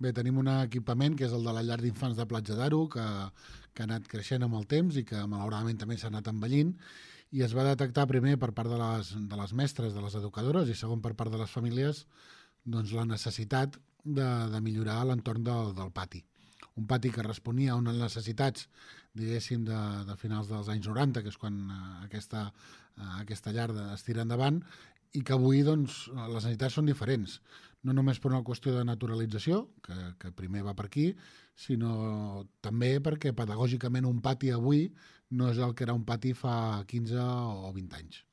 Bé, tenim un equipament que és el de la llar d'infants de Platja d'Aro, que ha anat creixent amb el temps i que malauradament també s'ha anat envellint, i es va detectar primer per part de les mestres, de les educadores, i segon per part de les famílies, doncs, la necessitat de millorar l'entorn del pati. Un pati que responia a unes necessitats, diguéssim, de finals dels anys 90, que és quan aquesta llar es tira endavant, i que avui doncs, les necessitats són diferents. No només per una qüestió de naturalització, que primer va per aquí, sinó també perquè pedagògicament un pati avui no és el que era un pati fa 15 o 20 anys.